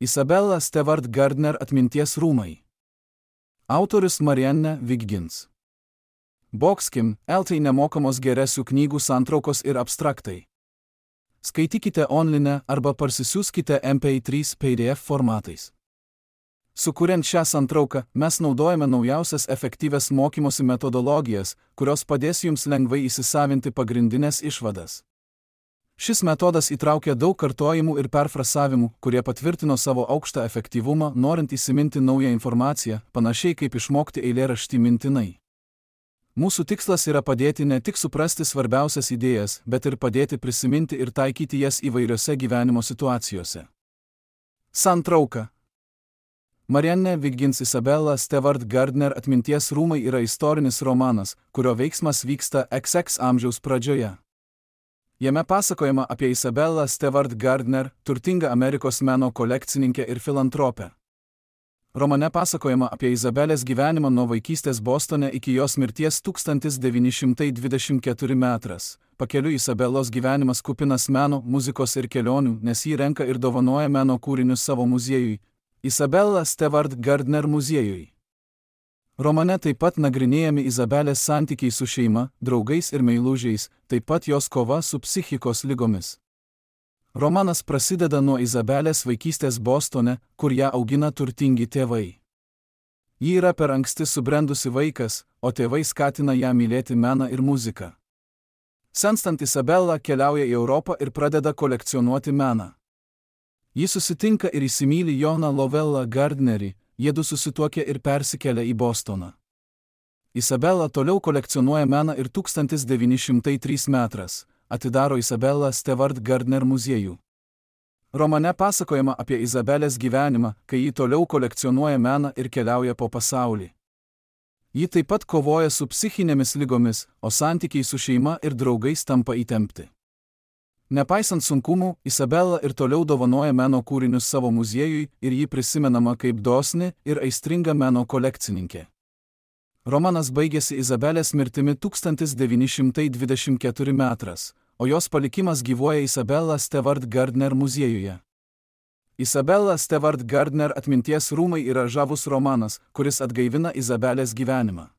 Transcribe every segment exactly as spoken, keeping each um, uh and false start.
Isabella Stewart Gardner atminties rūmai. Autorius Marianne Wiggins. Boxkim, eltai nemokamos geresių knygų santraukos ir abstraktai. Skaitykite online arba parsisiųskite M P trys P D F formatais. Sukuriant šią santrauką, mes naudojame naujausias efektyvias mokymosi metodologijas, kurios padės jums lengvai įsisavinti pagrindinės išvadas. Šis metodas įtraukia daug kartojimų ir perfrasavimų, kurie patvirtino savo aukštą efektyvumą, norint įsiminti naują informaciją, panašiai kaip išmokti eilėraštį mintinai. Mūsų tikslas yra padėti ne tik suprasti svarbiausias idėjas, bet ir padėti prisiminti ir taikyti jas įvairiose gyvenimo situacijose. Santrauka. Marianne Wiggins Isabella Stewart Gardner atminties rūmai yra istorinis romanas, kurio veiksmas vyksta X X amžiaus pradžioje. Jame pasakojama apie Isabellą Stewart Gardner, turtingą Amerikos meno kolekcininkę ir filantropę. Romane pasakojama apie Izabelės gyvenimą nuo vaikystės Bostone iki jos mirties tūkstantis devyni šimtai dvidešimt keturi metras. Pakeliui Isabelos gyvenimas kupinas meno, muzikos ir kelionių, nes ji renka ir dovanoja meno kūrinius savo muziejui, Isabella Stewart Gardner muziejui. Romane taip pat nagrinėjami Izabelės santykiai su šeima, draugais ir meilužiais, taip pat jos kova su psichikos ligomis. Romanas prasideda nuo Izabelės vaikystės Bostone, kur ją augina turtingi tėvai. Ji yra per anksti subrendusi vaikas, o tėvai skatina ją mylėti meną ir muziką. Senstant Isabella keliauja į Europą ir pradeda kolekcionuoti meną. Ji susitinka ir įsimyli Joną Lovellą Gardnerį, jiedu susituokia ir persikelia į Bostoną. Isabella toliau kolekcionuoja meną ir tūkstantis devyni šimtai trečias metras atidaro Isabella Stewart Gardner muziejų. Romane pasakojama apie Izabelės gyvenimą, kai ji toliau kolekcionuoja meną ir keliauja po pasaulį. Ji taip pat kovoja su psichinėmis ligomis, o santykiai su šeima ir draugais tampa įtempti. Nepaisant sunkumų, Isabella ir toliau dovanoja meno kūrinius savo muziejui ir ji prisimenama kaip dosni ir aistringa meno kolekcininkė. Romanas baigėsi Izabelės mirtimi tūkstantis devyni šimtai dvidešimt keturi metras, o jos palikimas gyvuoja Isabella Stewart Gardner muziejuje. Isabella Stewart Gardner atminties rūmai yra žavus romanas, kuris atgaivina Izabelės gyvenimą.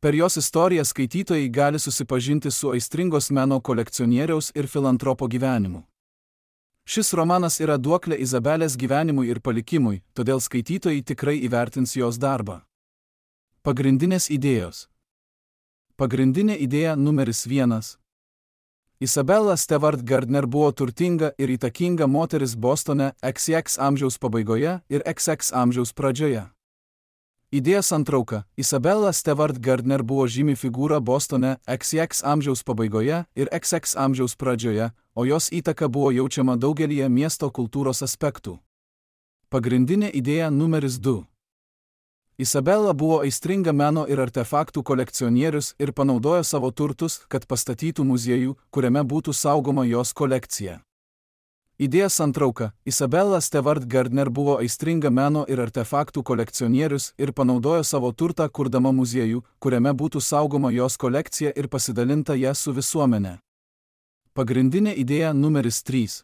Per jos istoriją skaitytojai gali susipažinti su aistringos meno kolekcionieriaus ir filantropo gyvenimu. Šis romanas yra duoklė Izabelės gyvenimui ir palikimui, todėl skaitytojai tikrai įvertins jos darbą. Pagrindinės idėjos. Pagrindinė idėja numeris vienas. Isabella Stewart Gardner buvo turtinga ir įtakinga moteris Bostone X X amžiaus pabaigoje ir X X amžiaus pradžioje. Idėja santrauka. Isabella Stewart Gardner buvo žymi figūra Bostone X X amžiaus pabaigoje ir X X amžiaus pradžioje, o jos įtaka buvo jaučiama daugelyje miesto kultūros aspektų. Pagrindinė idėja numeris du. Isabella buvo aistringa meno ir artefaktų kolekcionierius ir panaudojo savo turtus, kad pastatytų muziejų, kuriame būtų saugoma jos kolekcija. Idėja santrauka. Isabella Stewart Gardner buvo aistringa meno ir artefaktų kolekcionierius ir panaudojo savo turtą kurdama muziejų, kuriame būtų saugoma jos kolekcija ir pasidalinta ją su visuomenė. Pagrindinė idėja numeris trys.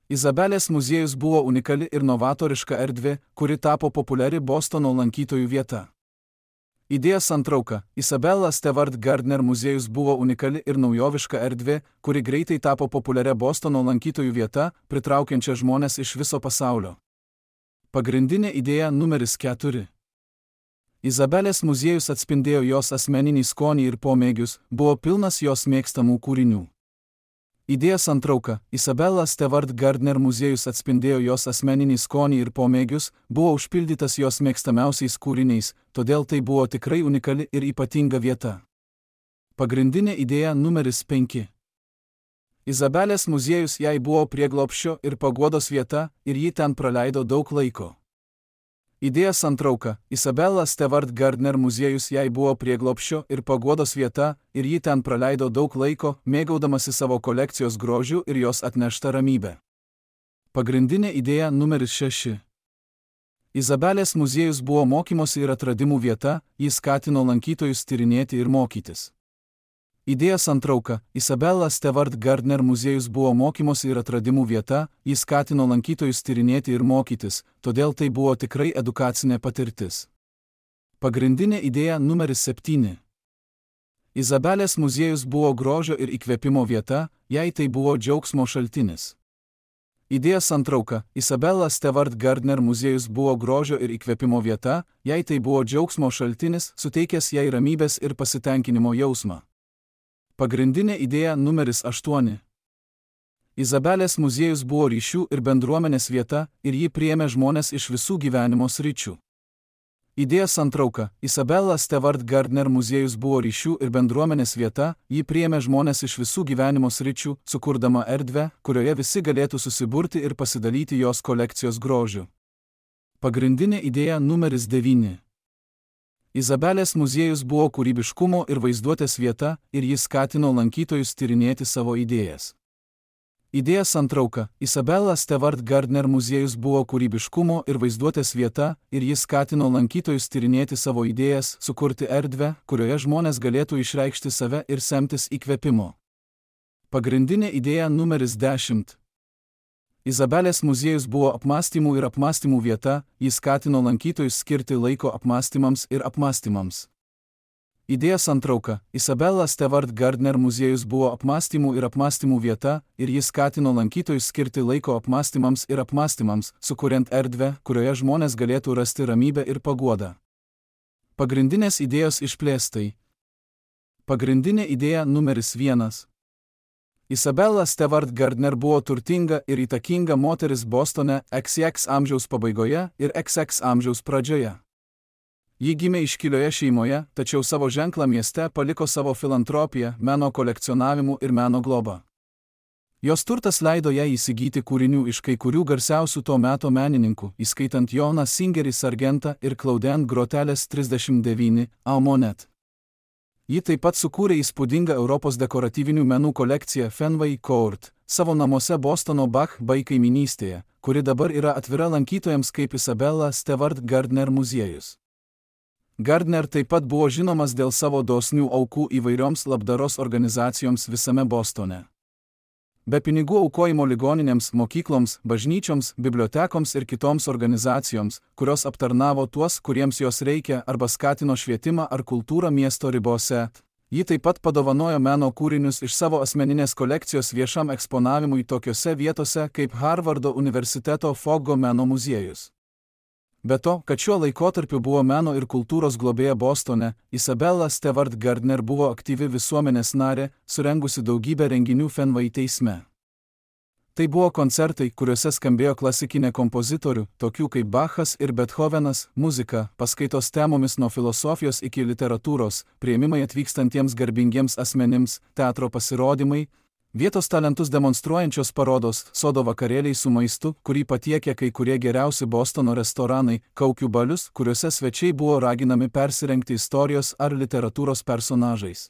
Izabelės muziejus buvo unikali ir novatoriška erdvė, kuri tapo populiari Bostono lankytojų vieta. Idėja santrauka. Isabella Stewart Gardner muziejus buvo unikali ir naujoviška erdvė, kuri greitai tapo populiaria Bostono lankytojų vieta, pritraukiančia žmones iš viso pasaulio. Pagrindinė idėja numeris keturi. Izabelės muziejus atspindėjo jos asmeninį skonį ir pomėgius, buvo pilnas jos mėgstamų kūrinių. Idėja santrauka. Isabella Stewart Gardner muziejus atspindėjo jos asmeninį skonį ir pomėgius, buvo užpildytas jos mėgstamiausiais kūriniais, todėl tai buvo tikrai unikali ir ypatinga vieta. Pagrindinė idėja numeris penki. Izabelės muziejus jai buvo prieglobsčio ir paguodos vieta ir ji ten praleido daug laiko. Idėja santrauka. Isabella Stewart Gardner muziejus jai buvo prieglobsčio ir paguodos vieta ir ji ten praleido daug laiko, mėgaudamasi savo kolekcijos grožiu ir jos atneštą ramybę. Pagrindinė idėja numeris šeši. Izabelės muziejus buvo mokymosi ir atradimų vieta, jis skatino lankytojus tyrinėti ir mokytis. Idėja santrauka. Isabella Stewart Gardner muziejus buvo mokymosi ir atradimų vieta, jis skatino lankytojus tyrinėti ir mokytis, todėl tai buvo tikrai edukacinė patirtis. Pagrindinė idėja numeris septyni. Izabelės muziejus buvo grožio ir įkvėpimo vieta, jei tai buvo džiaugsmo šaltinis. Idėja santrauka. Isabella Stewart Gardner muziejus buvo grožio ir įkvėpimo vieta, jei tai buvo džiaugsmo šaltinis, suteikęs jai ramybės ir pasitenkinimo jausmą. Pagrindinė idėja numeris aštuoni. Izabelės muziejus buvo ryšių ir bendruomenės vieta ir ji priėmė žmones iš visų gyvenimo sričių. Idėja santrauka. Isabella Stewart Gardner muziejus buvo ryšių ir bendruomenės vieta, ji priėmė žmones iš visų gyvenimo sričių, sukurdama erdvę, kurioje visi galėtų susiburti ir pasidalyti jos kolekcijos grožiu. Pagrindinė idėja numeris devyni. Izabelės muziejus buvo kūrybiškumo ir vaizduotės vieta ir jis skatino lankytojus tyrinėti savo idėjas. Idėja santrauka. Isabella Stewart Gardner muziejus buvo kūrybiškumo ir vaizduotės vieta ir jis skatino lankytojus tyrinėti savo idėjas, sukurti erdvę, kurioje žmonės galėtų išreikšti save ir semtis įkvėpimo. Pagrindinė idėja numeris dešimt. Izabelės muziejus buvo apmąstymų ir apmąstymų vieta, jis skatino lankytojus skirti laiko apmąstymams ir apmąstymams. Idėja santrauka. Isabella Stewart Gardner muziejus buvo apmąstymų ir apmąstymų vieta ir jis skatino lankytojus skirti laiko apmąstymams ir apmąstymams, sukuriant erdvę, kurioje žmonės galėtų rasti ramybę ir paguodą. Pagrindinės idėjos išplėstai. Pagrindinė idėja numeris vienas. Isabella Stewart Gardner buvo turtinga ir įtakinga moteris Bostone iks iks amžiaus pabaigoje ir iks iks amžiaus pradžioje. Ji gimė iškilioje šeimoje, tačiau savo ženklą mieste paliko savo filantropiją, meno kolekcionavimu ir meno globą. Jos turtas leido jai įsigyti kūrinių iš kai kurių garsiausių to meto menininkų, įskaitant Joną Singerį Sargentą ir Claudine Groteles trisdešimt devyni Almonet. Ji taip pat sukūrė įspūdingą Europos dekoratyvinių menų kolekciją Fenway Court, savo namuose Bostono Back Bay kaiminystėje, kuri dabar yra atvira lankytojams kaip Isabella Stewart Gardner muziejus. Gardner taip pat buvo žinomas dėl savo dosnių aukų įvairioms labdaros organizacijoms visame Bostone. Be pinigų aukojimo ligoninėms, mokykloms, bažnyčioms, bibliotekoms ir kitoms organizacijoms, kurios aptarnavo tuos, kuriems jos reikia arba skatino švietimą ar kultūrą miesto ribose, ji taip pat padovanojo meno kūrinius iš savo asmeninės kolekcijos viešam eksponavimui tokiose vietose kaip Harvardo universiteto Foggo meno muziejus. Be to, kad šiuo laikotarpiu buvo meno ir kultūros globėja Bostone, Isabella Stewart Gardner buvo aktyvi visuomenės narė, surengusi daugybę renginių Fenway teisme. Tai buvo koncertai, kuriuose skambėjo klasikinė kompozitorių, tokių kaip Bachas ir Bethovenas, muzika, paskaitos temomis nuo filosofijos iki literatūros, priėmimai atvykstantiems garbingiems asmenims, teatro pasirodymai, vietos talentus demonstruojančios parodos, sodo vakarėliai su maistu, kurį patiekė kai kurie geriausi Bostono restoranai, kaukių balius, kuriuose svečiai buvo raginami persirengti istorijos ar literatūros personažais.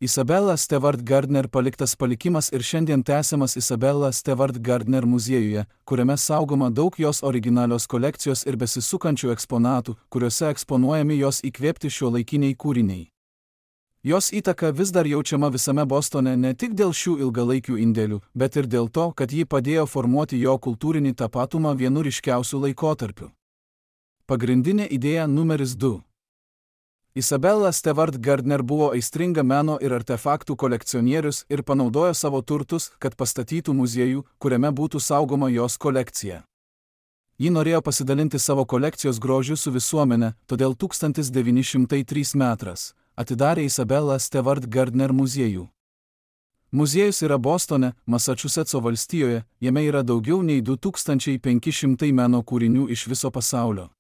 Isabella Stewart Gardner paliktas palikimas ir šiandien tęsiamas Isabella Stewart Gardner muziejuje, kuriame saugoma daug jos originalios kolekcijos ir besisukančių eksponatų, kuriuose eksponuojami jos įkvėpti šiuolaikiniai kūriniai. Jos įtaka vis dar jaučiama visame Bostone ne tik dėl šių ilgalaikių indėlių, bet ir dėl to, kad ji padėjo formuoti jo kultūrinį tapatumą vienu ryškiausių laikotarpių. Pagrindinė idėja numeris du. Isabella Stewart Gardner buvo aistringa meno ir artefaktų kolekcionierius ir panaudojo savo turtus, kad pastatytų muziejų, kuriame būtų saugoma jos kolekcija. Ji norėjo pasidalinti savo kolekcijos grožiu su visuomenė, todėl tūkstantis devyni šimtai trečiais metais atidarė Isabella Stewart Gardner muziejų. Muziejus yra Bostone, Masačusetso valstijoje, jame yra daugiau nei du tūkstančiai penki šimtai meno kūrinių iš viso pasaulio.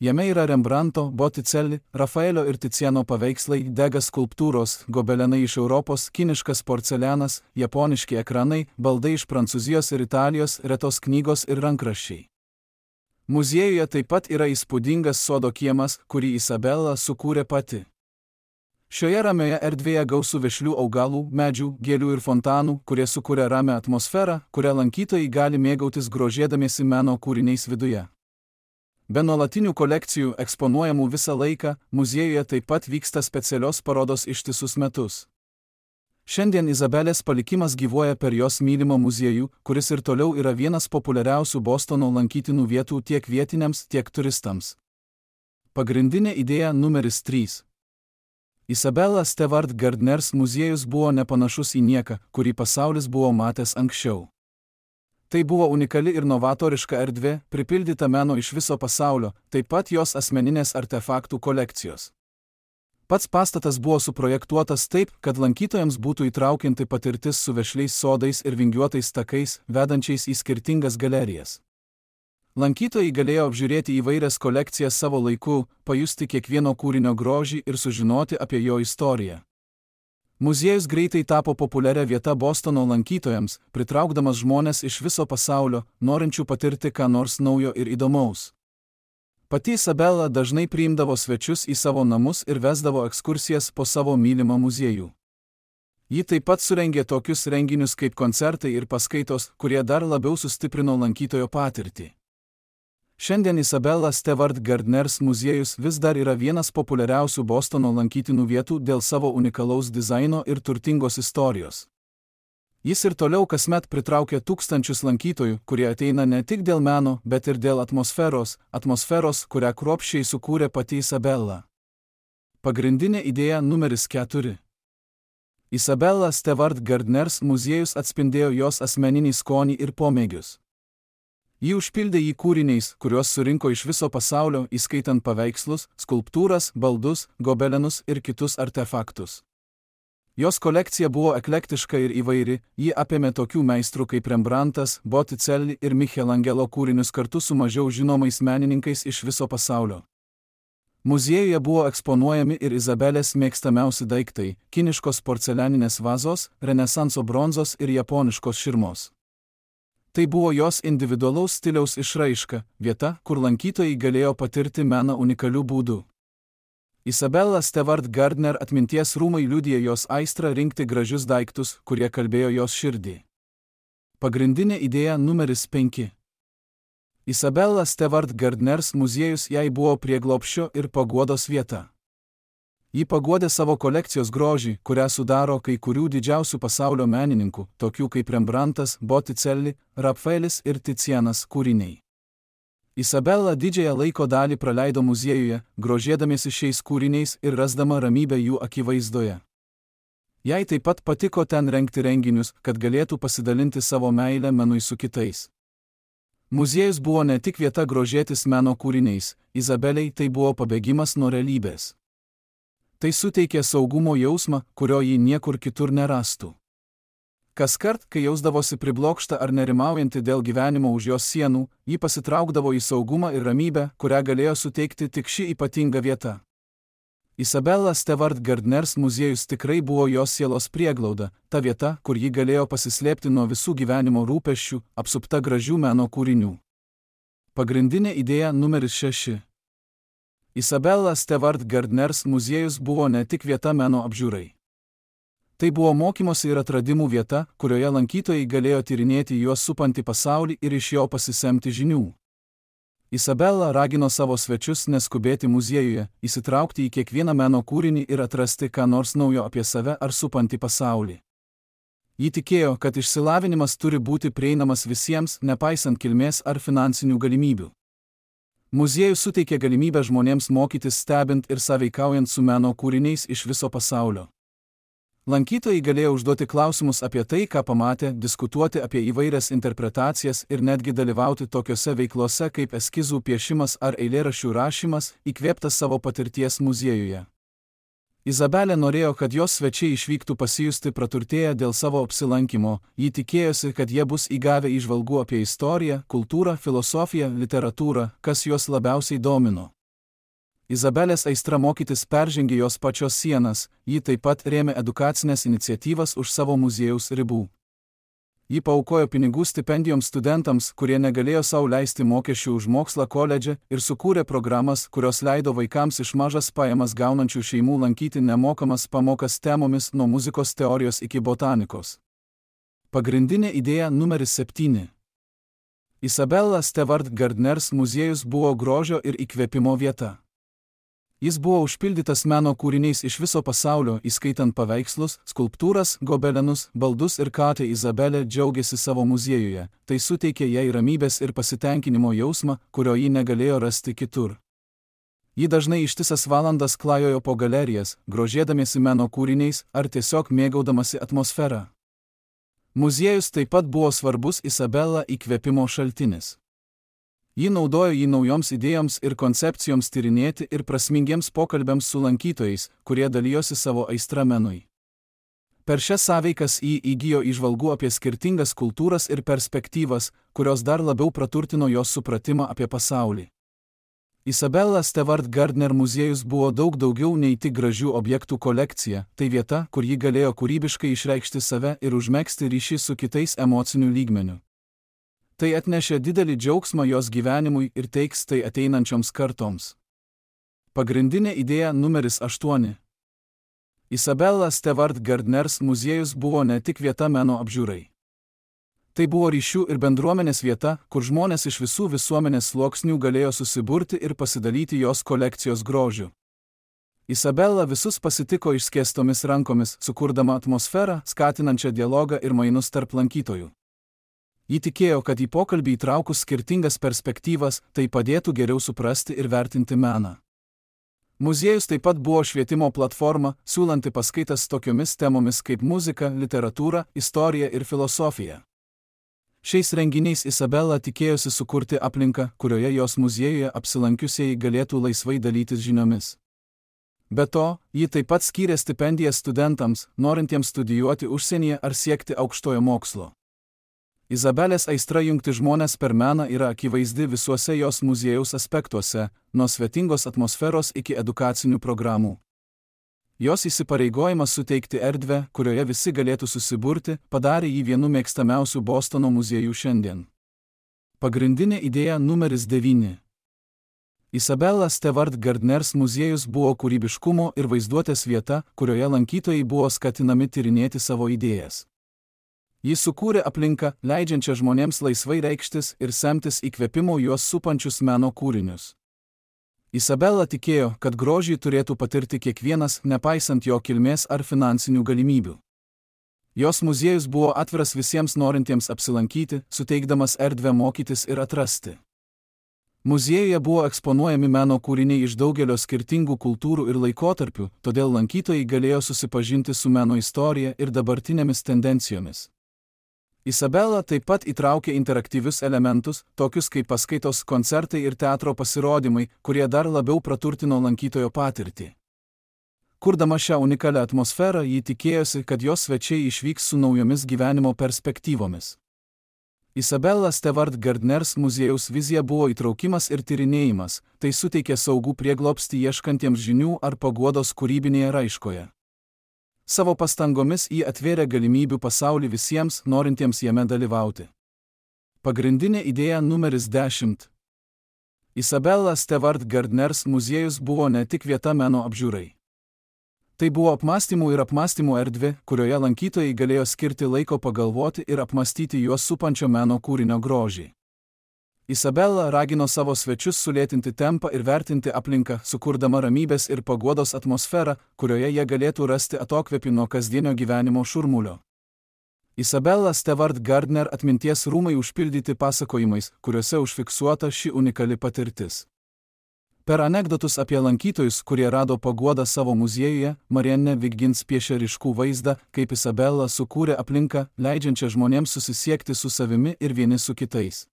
Jame yra Rembrandto, Botticelli, Rafaelio ir Ticiano paveikslai, degas skulptūros, gobelenai iš Europos, kiniškas porcelianas, japoniški ekranai, baldai iš Prancūzijos ir Italijos, retos knygos ir rankraščiai. Muziejuje taip pat yra įspūdingas sodo kiemas, kurį Isabella sukūrė pati. Šioje ramioje erdvėje gausu vešlių augalų, medžių, gėlių ir fontanų, kurie sukuria ramią atmosferą, kurią lankytojai gali mėgautis grožėdamiesi meno kūriniais viduje. Be nuolatinių kolekcijų eksponuojamų visą laiką, muziejuje taip pat vyksta specialios parodos ištisus metus. Šiandien Izabelės palikimas gyvuoja per jos mylimą muziejų, kuris ir toliau yra vienas populiariausių Bostono lankytinų vietų tiek vietiniams, tiek turistams. Pagrindinė idėja numeris trys. Isabella Stewart Gardners muziejus buvo nepanašus į nieką, kurį pasaulis buvo matęs anksčiau. Tai buvo unikali ir novatoriška erdvė, pripildyta meno iš viso pasaulio, taip pat jos asmeninės artefaktų kolekcijos. Pats pastatas buvo suprojektuotas taip, kad lankytojams būtų įtraukianti patirtis su vešliais sodais ir vingiuotais takais, vedančiais į skirtingas galerijas. Lankytojai galėjo apžiūrėti įvairias kolekcijas savo laiku, pajusti kiekvieno kūrinio grožį ir sužinoti apie jo istoriją. Muziejus greitai tapo populiaria vieta Bostono lankytojams, pritraukdamas žmones iš viso pasaulio, norinčių patirti ką nors naujo ir įdomaus. Pati Isabella dažnai priimdavo svečius į savo namus ir vesdavo ekskursijas po savo mylimą muziejų. Ji taip pat surengė tokius renginius kaip koncertai ir paskaitos, kurie dar labiau sustiprino lankytojo patirtį. Šiandien Isabella Stewart Gardners muziejus vis dar yra vienas populiariausių Bostono lankytinų vietų dėl savo unikalaus dizaino ir turtingos istorijos. Jis ir toliau kasmet pritraukia tūkstančius lankytojų, kurie ateina ne tik dėl meno, bet ir dėl atmosferos, atmosferos, kurią kruopščiai sukūrė pati Isabella. Pagrindinė idėja numeris keturi. Isabella Stewart Gardners muziejus atspindėjo jos asmeninį skonį ir pomėgius. Ji užpildė jį kūriniais, kuriuos surinko iš viso pasaulio, įskaitant paveikslus, skulptūras, baldus, gobelenus ir kitus artefaktus. Jos kolekcija buvo eklektiška ir įvairi, ji apėmė tokių meistrų kaip Rembrandtas, Botticelli ir Michelangelo kūrinius kartu su mažiau žinomais menininkais iš viso pasaulio. Muziejuje buvo eksponuojami ir Izabelės mėgstamiausi daiktai – kiniškos porcelianinės vazos, renesanso bronzos ir japoniškos širmos. Tai buvo jos individualaus stiliaus išraiška, vieta, kur lankytojai galėjo patirti meną unikalių būdų. Isabella Stewart Gardner atminties rūmai liudija jos aistrą rinkti gražius daiktus, kurie kalbėjo jos širdį. Pagrindinė idėja numeris penki. Isabella Stewart Gardners muziejus jai buvo prieglobsčio ir paguodos vieta. Ji paguodė savo kolekcijos grožį, kurią sudaro kai kurių didžiausių pasaulio menininkų, tokių kaip Rembrandtas, Botticelli, Rafaelis ir Ticianas kūriniai. Isabella didžiąją laiko dalį praleido muziejuje, grožėdamiesi šiais kūriniais ir rasdama ramybę jų akivaizdoje. Jai taip pat patiko ten rengti renginius, kad galėtų pasidalinti savo meilę menui su kitais. Muziejus buvo ne tik vieta grožėtis meno kūriniais, Izabelei tai buvo pabėgimas nuo realybės. Tai suteikė saugumo jausmą, kurio ji niekur kitur nerastų. Kaskart, kai jausdavosi priblokšta ar nerimaujanti dėl gyvenimo už jos sienų, ji pasitraukdavo į saugumą ir ramybę, kurią galėjo suteikti tik ši ypatinga vieta. Isabella Stewart Gardners muziejus tikrai buvo jos sielos prieglauda, ta vieta, kur ji galėjo pasislėpti nuo visų gyvenimo rūpesčių, apsupta gražių meno kūrinių. Pagrindinė idėja numeris šeši. Isabella Stewart Gardners muziejus buvo ne tik vieta meno apžiūrai. Tai buvo mokymosi ir atradimų vieta, kurioje lankytojai galėjo tyrinėti juos supantį pasaulį ir iš jo pasisemti žinių. Isabella ragino savo svečius neskubėti muziejuje, įsitraukti į kiekvieną meno kūrinį ir atrasti ką nors naujo apie save ar supantį pasaulį. Ji tikėjo, kad išsilavinimas turi būti prieinamas visiems, nepaisant kilmės ar finansinių galimybių. Muziejus suteikė galimybę žmonėms mokytis stebint ir sąveikaujant su meno kūriniais iš viso pasaulio. Lankytojai galėjo užduoti klausimus apie tai, ką pamatė, diskutuoti apie įvairias interpretacijas ir netgi dalyvauti tokiose veiklose kaip eskizų piešimas ar eilėraščių rašymas, įkvėptas savo patirties muziejuje. Izabelė norėjo, kad jos svečiai išvyktų pasijusti praturtėję dėl savo apsilankymo, ji tikėjosi, kad jie bus įgavę įžvalgų apie istoriją, kultūrą, filosofiją, literatūrą, kas juos labiausiai domino. Izabelės aistra mokytis peržengė jos pačios sienas, ji taip pat rėmė edukacinės iniciatyvas už savo muziejaus ribų. Ji paaukojo pinigų stipendijoms studentams, kurie negalėjo sau leisti mokesčių už mokslą koledže, ir sukūrė programas, kurios leido vaikams iš mažas pajamas gaunančių šeimų lankyti nemokamas pamokas temomis nuo muzikos teorijos iki botanikos. Pagrindinė idėja numeris septyni. Isabella Stewart Gardners muziejus buvo grožio ir įkvėpimo vieta. Jis buvo užpildytas meno kūriniais iš viso pasaulio, įskaitant paveikslus, skulptūras, gobelenus, baldus ir katę. Izabelė džiaugiasi savo muziejuje, tai suteikė jai ramybės ir pasitenkinimo jausmą, kurio ji negalėjo rasti kitur. Ji dažnai ištisas valandas klajojo po galerijas, grožėdamiesi meno kūriniais ar tiesiog mėgaudamasi atmosferą. Muziejus taip pat buvo svarbus Isabella įkvėpimo šaltinis. Ji naudojo jį naujoms idėjoms ir koncepcijoms tyrinėti ir prasmingiems pokalbiams su lankytojais, kurie dalijosi savo aistra menui. Per šias sąveikas ji įgijo įžvalgų apie skirtingas kultūras ir perspektyvas, kurios dar labiau praturtino jos supratimą apie pasaulį. Isabella Stewart Gardner muziejus buvo daug daugiau nei tik gražių objektų kolekcija, tai vieta, kur ji galėjo kūrybiškai išreikšti save ir užmegzti ryšį su kitais emociniu lygmeniu. Tai atnešė didelį džiaugsmą jos gyvenimui ir teiks tai ateinančioms kartoms. Pagrindinė idėja numeris aštuoni. Isabella Stewart Gardners muziejus buvo ne tik vieta meno apžiūrai. Tai buvo ryšių ir bendruomenės vieta, kur žmonės iš visų visuomenės sluoksnių galėjo susiburti ir pasidalyti jos kolekcijos grožiu. Isabella visus pasitiko išskėstomis rankomis, sukurdama atmosferą, skatinančią dialogą ir mainus tarp lankytojų. Ji tikėjo, kad į pokalbį įtraukus skirtingas perspektyvas, tai padėtų geriau suprasti ir vertinti meną. Muziejus taip pat buvo švietimo platforma, siūlanti paskaitas tokiomis temomis kaip muzika, literatūra, istorija ir filosofija. Šiais renginiais Isabella tikėjosi sukurti aplinką, kurioje jos muziejuje apsilankiusieji galėtų laisvai dalytis žiniomis. Be to, ji taip pat skyrė stipendijas studentams, norintiems studijuoti užsienyje ar siekti aukštojo mokslo. Izabelės aistra jungti žmones per meną yra akivaizdi visuose jos muziejaus aspektuose, nuo svetingos atmosferos iki edukacinių programų. Jos įsipareigojimas suteikti erdvę, kurioje visi galėtų susiburti, padarė jį vienu mėgstamiausių Bostono muziejų šiandien. Pagrindinė idėja numeris devyni. Isabella Stewart Gardners muziejus buvo kūrybiškumo ir vaizduotės vieta, kurioje lankytojai buvo skatinami tyrinėti savo idėjas. Jis sukūrė aplinką, leidžiančią žmonėms laisvai reikštis ir semtis įkvėpimo juos supančius meno kūrinius. Isabella tikėjo, kad grožį turėtų patirti kiekvienas, nepaisant jo kilmės ar finansinių galimybių. Jos muziejus buvo atviras visiems norintiems apsilankyti, suteikdamas erdvę mokytis ir atrasti. Muziejuje buvo eksponuojami meno kūriniai iš daugelio skirtingų kultūrų ir laikotarpių, todėl lankytojai galėjo susipažinti su meno istorija ir dabartinėmis tendencijomis. Isabella taip pat įtraukė interaktyvius elementus, tokius kaip paskaitos, koncertai ir teatro pasirodymai, kurie dar labiau praturtino lankytojo patirtį. Kurdama šią unikalią atmosferą, ji tikėjosi, kad jos svečiai išvyks su naujomis gyvenimo perspektyvomis. Isabella Stewart Gardners muziejaus vizija buvo įtraukimas ir tyrinėjimas, tai suteikė saugų prieglobstį ieškantiems žinių ar paguodos kūrybinėje raiškoje. Savo pastangomis ji atvėrė galimybių pasaulį visiems, norintiems jame dalyvauti. Pagrindinė idėja numeris dešimt. Isabella Stewart Gardners muziejus buvo ne tik vieta meno apžiūrai. Tai buvo apmąstymų ir apmąstymų erdvė, kurioje lankytojai galėjo skirti laiko pagalvoti ir apmąstyti juos supančio meno kūrinio grožį. Isabella ragino savo svečius sulėtinti tempą ir vertinti aplinką, sukurdama ramybės ir paguodos atmosferą, kurioje jie galėtų rasti atokvėpį nuo kasdienio gyvenimo šurmulio. Isabella Stewart Gardner atminties rūmai užpildyti pasakojimais, kuriuose užfiksuota ši unikali patirtis. Per anekdotus apie lankytojus, kurie rado paguodą savo muziejuje, Marianne Wiggins piešė ryškų vaizdą, kaip Isabella sukūrė aplinką, leidžiančią žmonėms susisiekti su savimi ir vieni su kitais.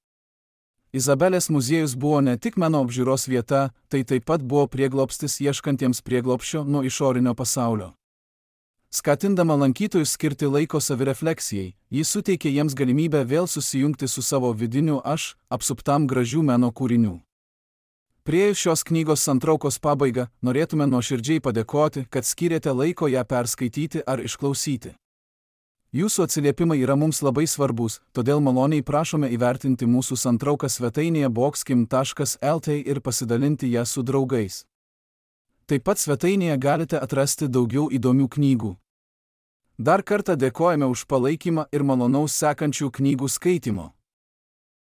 Izabelės muziejus buvo ne tik meno apžiūros vieta, tai taip pat buvo prieglobstis ieškantiems prieglobsčio nuo išorinio pasaulio. Skatindama lankytojus skirti laiko savirefleksijai, ji suteikė jiems galimybę vėl susijungti su savo vidiniu aš, apsuptam gražių meno kūrinių. Priėjus šios knygos santraukos pabaigą, norėtume nuoširdžiai padėkoti, kad skyrėte laiko ją perskaityti ar išklausyti. Jūsų atsiliepimai yra mums labai svarbus, todėl maloniai prašome įvertinti mūsų santrauką svetainėje boxkim taškas el tė ir pasidalinti ją su draugais. Taip pat svetainėje galite atrasti daugiau įdomių knygų. Dar kartą dėkojame už palaikymą ir malonaus sekančių knygų skaitimo.